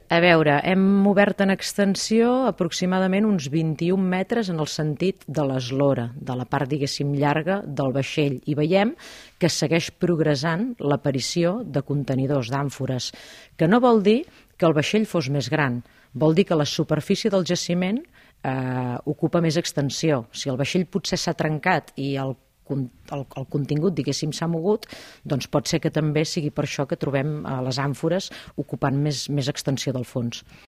A veure, hem obert en extensió aproximadament uns 21 metres en el sentit de l'eslora, de la part, diguéssim, llarga del vaixell, i veiem que segueix progressant l'aparició de contenidors, d'àmfores, que no vol dir que el vaixell fos més gran, vol dir que la superfície del jaciment ocupa més extensió. Si el vaixell potser s'ha trencat i el contingut, diguéssim, s'ha mogut, doncs pot ser que també sigui per això que trobem les àmfores ocupant més extensió del fons.